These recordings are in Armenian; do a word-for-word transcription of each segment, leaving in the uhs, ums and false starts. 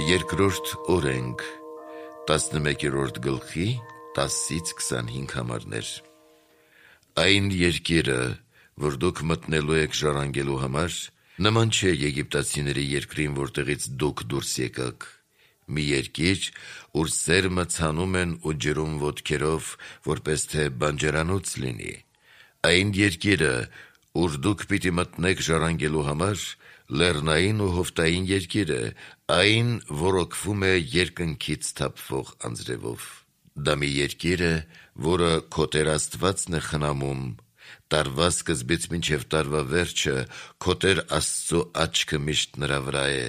Երկրորդ օրենք, տասնմեկերորդ գլխի, տասից քսանհինգ համարներ։ Այն երկիրը, որ դուք մտնելու եք ժառանգելու համար, նման չէ եգիպտացիների երկրին, որտեղից դուք դուրս եկաք։ Մի երկիր, ուր սերմը ցանում են ու ջրում ոտքերով, որպես թե բանջարանոց լինի։ Այն երկիրը, ուր դուք պիտի մտնեք ժառանգելու համար, լեռնային ու հովտային երկիր է, այն որոքվում է երկնքից թափվող անձրևով։ Դա մի երկիր է, որը քո Տեր Աստվածն է խնամում, տարվա սկզբից մինչև տարվա վերջը քո Տեր Աստծո աչքը միշտ նրա վրա է։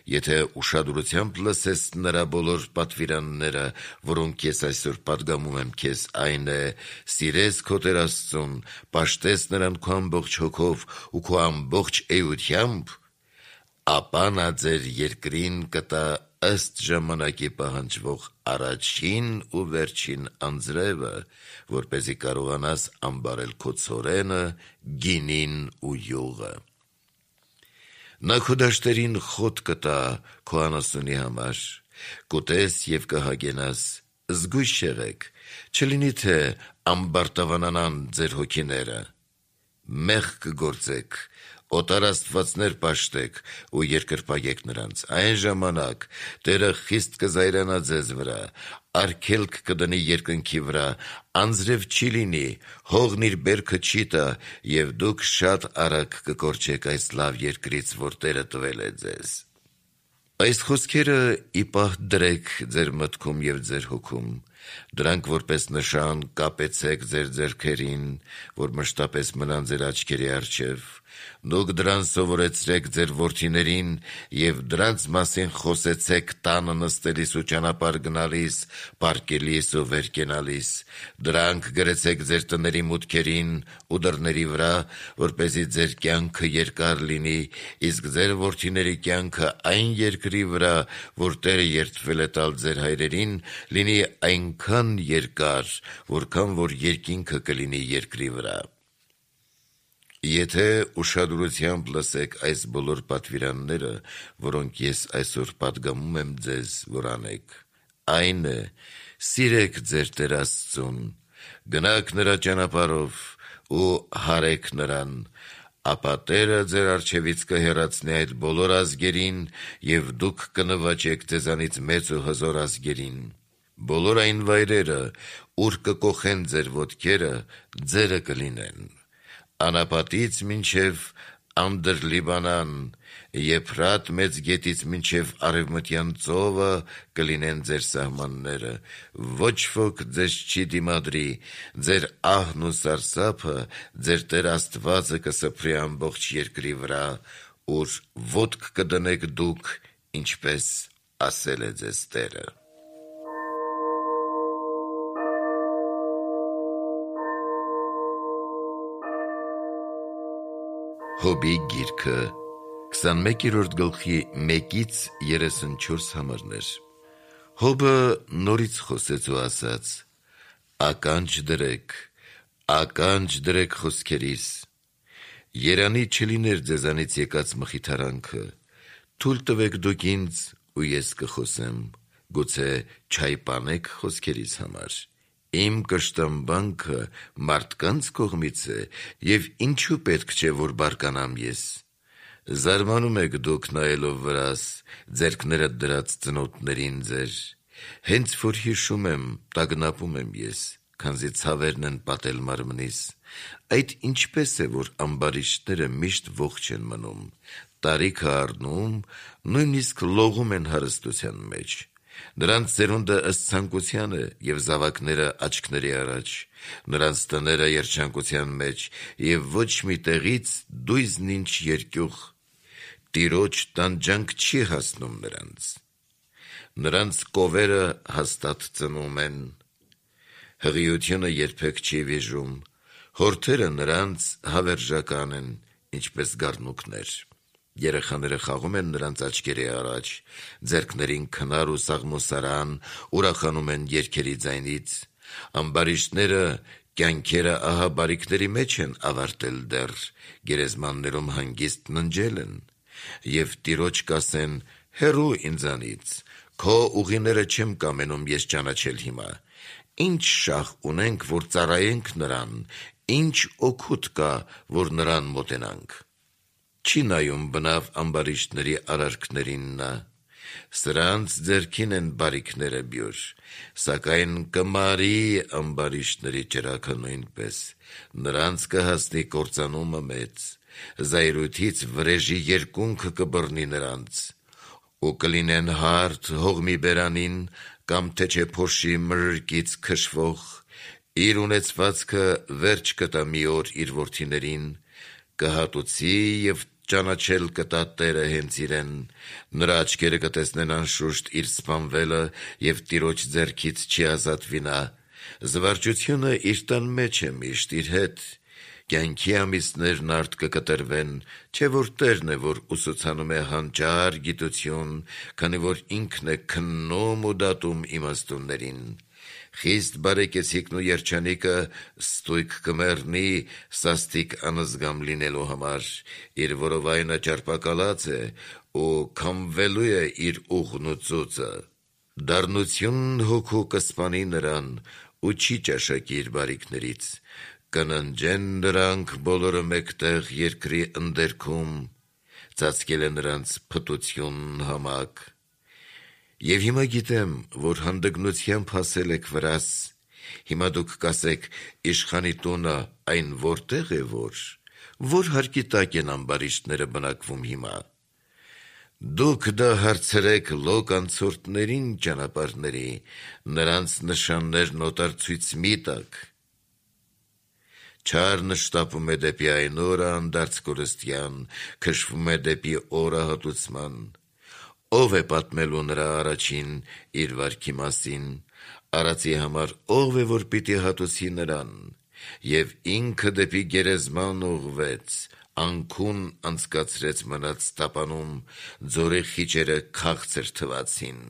Եթե ուշադրությամբ լսես նրա բոլոր պատվիրանները, որոնք ես այսօր պատգամում եմ քեզ, այն է՝ սիրես քո Տեր Աստծուն, պաշտես նրան քո ամբողջ հոգով ու քո ամբողջ էությամբ, ապա նա ձեր երկրին կտա ըստ ժամանակի պահանջվող առաջին ու վերջին անձրևը, որպեսզի կարողանաս ամբարել քո ցորենը, գինին ու յուղը։ Նա քո դաշտերին խոտ կտա քո անասունի համար, կուտես և կհագենաս, զգույշ եղեք, չլինի թե ամբարտավանանան ձեր հոգիները։ Մեղք կգործեք, օտար աստվածներ պաշտեք ու երկրպագեք նրանց։ Այն ժամանակ Տերը խիստ կզայրանա ձեզ վրա, արգելք կդնի երկնքի վրա, անձրև չի լինի, հողն իր բերքը չի տա, և դուք շատ արագ կկորչեք այս լավ երկրից, որ Տերը տվել է ձեզ։ Այս խոսքերը ի պահ դրեք ձեր մտքում և ձեր հոգում, դրանք որպես նշան կապեցեք ձեր ձեռքերին, որ մշտապես մնան ձեր աչքերի առջև։ Դուք դրան սովորեցրեք ձեր որդիներին և դրանց մասին խոսեցեք տանը նստելիս ու ճանապարհ գնալիս, պառկելիս ու վեր կենալիս։ Դրանք գրեցեք ձեր տների մուտքերին ու դռների վրա, որպեսզի ձեր կյանքը երկար լինի, իսկ ձեր որդիների կյանքը այն երկրի վրա, որ Տերը երդվել է տալ ձեր հայրերին, լինի այնքան երկար, որքան որ երկինքը կլինի երկրի վրա։ Եթե ուշադրությամբ լսեք այս բոլոր պատվիրանները, որոնք ես այսօր պատգամում եմ ձեզ, որ անեք, այն է՝ սիրեք ձեր Տեր Աստծուն, գնաք նրա ճանապարհով ու հարեք նրան, ապա Տերը ձեր առջևից կհեռացնի այդ բոլոր ազգերին, և դուք կնվաճեք ձեզանից մեծ ու հզոր ազգերին։ Բոլոր այն վայրերը, ուր կկոխեն ձեր ոտքերը, ձերը կլինեն։ Անապատից մինչև Անդր-Լիբանան, Եփրատ մեծ գետից մինչև Արևմտյան ծովը կլինեն ձեր սահմանները, ոչ ոք ձեզ չի դիմադրի, ձեր ահն ու սարսափը ձեր Տեր Աստվածը կսփռի ամբողջ երկրի վրա, ուր ոտք կդնեք դուք, ինչպես ասել է ձեզ Տերը։ Հոբի գիրքը, քսանմեկերորդ գլխի մեկից երեսունչորս համարներ։ Հոբը նորից խոսեց ու ասաց. «Ականջ դրեք, ականջ դրեք խոսքերիս, երանի չլիներ ձեզանից եկած մխիթարանքը, թույլ տվեք դուք ինձ ու ես կխոսեմ, գուցե չայպանեք խոսքերիս համար։ Իմ կշտամբանքը մարդկանց կողմից է, և ինչու պետք չէ, որ բարկանամ ես։ Զարմանում եք դուք նայելով վրաս, ձեռքները դրած ծնոտներին ձեր։ Հենց որ հիշում եմ, տագնապում եմ ես, քանզի ցավերն են պատել մարմնիս։ Այդ ինչպես է, որ ամբարիշտները միշտ ողջ են մնում, տարիքը առնում, նույնիսկ լողում են հարստության մեջ։ Նրանց սերունդը ըստ ցանկության է, և զավակները աչքների առաջ, նրանց տները երջանկության մեջ, և ոչ մի տեղից դույզն ինչ երկյուղ, Տիրոջ տանջանք չի հասնում նրանց։ Նրանց կովերը հաստատ ծնում են, հղիությունը երբեք չի վիժում, հորթերը նրանց հավերժական են, ինչպես գառնուկներ։ Երեխաները խաղում են նրանց աչքերի առաջ, ձեռքներին քնար ու սաղմոսարան, ուրախանում են երգերի ձայնից։ Ամբարիշտները կյանքերը ահա բարիքների մեջ են ավարտել դեռ, գերեզմաններում հանգիստ ննջել են, և Տիրոջ կասեն. հեռու ինձանից, քո ուղիները չեմ կամենում ես ճանաչել հիմա, ինչ շահ ունենք, որ ծառայենք նրան, ինչ օգուտ կա, որ նրան մոտենանք, չի նայում բնավ ամբարիշտների արարքներին նա, սրանց ձեռքին են բարիքները բյուր, սակայն կմարի ամբարիշտների ճրագը նույնպես, նրանց կհասնի կործանումը մեծ, զայրույթից վրեժի երկունքը կբռնի նրանց, ու կլինեն հարթ հողմի բերանին, կամ թե չէ փոշի մրրկից քշվող, իր ունեցվածքը վերջ կտա մի օր իր որդիներին, կհատուցի և ճանաչել կտա Տերը հենց իրեն, նրա աչքերը կտեսնեն անշուշտ իր սպանվելը և տիրոջ ձեռքից չի ազատվի նա, զվարճությունը իր տան մեջ է միշտ իր հետ, կյանքի ամիսներն արդ կկտրվեն, չէ որ Տերն է, որ ուսուցանում է հանճար գիտություն, քանի որ ինքն է քննում ու դատում իմաստուններին, խիստ բարեկեցիկն ու երջանիկը ստույգ կմեռնի սաստիկ անզգամ լինելու համար, իր որովայնը ճարպակալած է ու քամվելու է իր ուղն ու ծուծը, դառնություն հոգու կսպանի նրան ու չի ճաշակի իր բարիքներից, կննջեն նրանք բոլորը մեկտեղ երկրի ընդերքում, ծածկել է նրանց փտություն համակ, և հիմա գիտեմ, որ հանդգնությամբ հասել եք վրաս, հիմա դուք կասեք իշխանի տունը այն որտեղ է որ, որ հարկի տակ են ամբարիշտները բնակվում հիմա, դուք դա հարցրեք լոկ անցորդներին ճանապարհների, նրանց նշաններն օտար ցույց մի տաք, չարն շտապում է դեպի այն օրը անդարձ կորստյան, քշվում է դեպի օրը հատուցման, ով է պատմելու նրա առաջին իր վարքի մասին, արածի համար ով է որ պիտի հատուցի նրան, և ինքը դեպի գերեզման ուղղվեց, անքուն անցկացրեց մնաց տապանում, ձորի խիճերը քաղցր թվացին,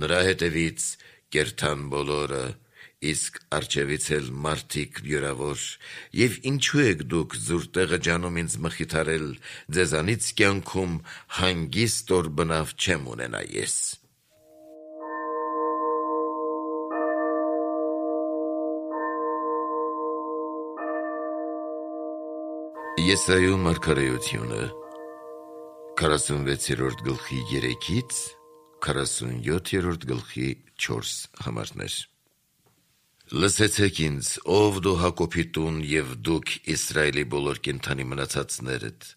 նրա հետևից կերթան բոլորը, իսկ առջևից էլ մարդիկ վյուրավոր, և ինչու եք դուք ձուր տեղը ջանում ինձ մխիթարել, ձեզանից կյանքում հանգիստ օր բնավ չեմ ունենա ես: Եսայու մարգարեությունը քառասունվեցերորդ գլխի երեքից քառասունյոթերորդ գլխի չորս համարներ Լսեցեք ինձ, ով դու Հակոբի տուն և դուք Իսրայելի բոլոր կենդանի մնացածներդ,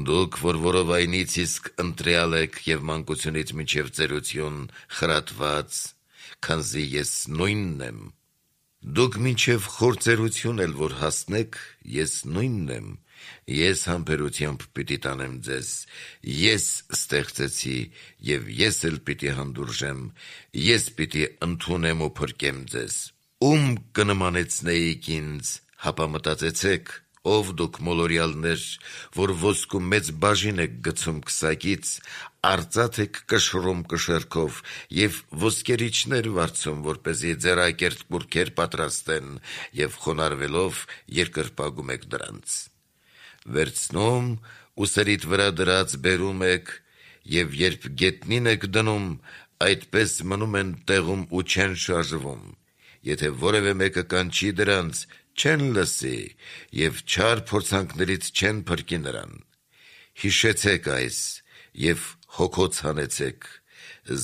դուք, որ որովայնից իսկ ընտրյալ եք և մանկությունից մինչև ծերություն խրատված, քանզի ես նույնն եմ, դուք մինչև խործերություն էլ որ հասնեք, ես նույնն եմ, ես համբերությամբ պիտի տանեմ ձեզ, ես ստեղծեցի և ես էլ պիտի հանդուրժեմ, ես պիտի ընդունեմ ու փրկեմ ձեզ, ում կնմանեցնեիք ինձ, հապա մտածեցեք, ով դուք մոլորյալներ, որ ոսկու մեծ բաժին եք գցում քսակից, արծաթ եք կշռում կշեռքով և ոսկերիչներ վարձում, որպեսզի ձեռակերտ կուռքեր պատրաստեն և խոնարհվելով երկրպագում եք դրանց, վերցնում ու սրիդ վրա դրած բերում եք և երբ գետնին եք դնում, այդպես մնում են տեղում ու չեն շարժվում, եթե որևէ մեկը կանչի դրանց, չեն լսի և չար փորձանքներից չեն փրկի նրան, հիշեցեք այս և հոգոց հանեցեք,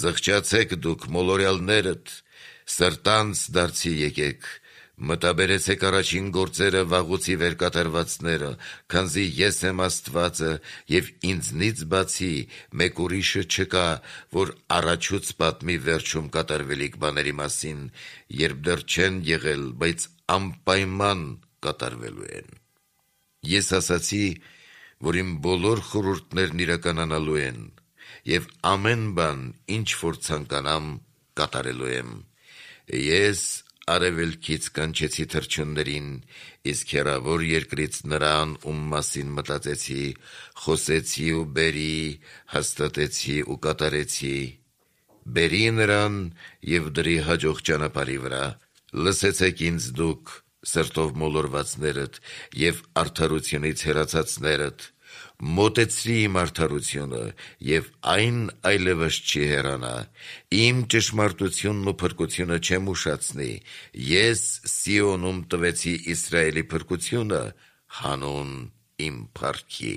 զղջացեք դուք մոլորյալներդ, սրտանց դարձի եկեք, մտաբերեցեք առաջին գործերը վաղուցի վեր կատարվածները, քանզի ես եմ Աստվածը և ինձնից բացի մեկ ուրիշը չկա, որ առաջուց պատմի վերջում կատարվելիք բաների մասին, երբ դեռ չեն եղել, բայց անպայման կատարվելու են: Ես ասացի, որ իմ բոլոր խորհուրդներն իրականանալու են և ամեն բան, ինչ որ ցանկանամ, կատարելու եմ, ես արևելքից կանչեցի թռչուններին, իսկ հեռավոր երկրից նրան, ում մասին մտածեցի, խոսեցի ու բերի, հաստատեցի ու կատարեցի, բերի նրան և դրի հաջող ճանապարհի վրա, լսեցեք ինձ դուք, սրտով մոլորվածներդ և արդարությունից հեռացածներդ, մոտեցրի իմ արդարությունը, և այն այլևս չի հեռանա, իմ ճշմարտությունն ու փրկությունը չեմ ուշացնի, ես Սիոնում տվեցի Իսրայելի փրկությունը, հանուն իմ փառքի։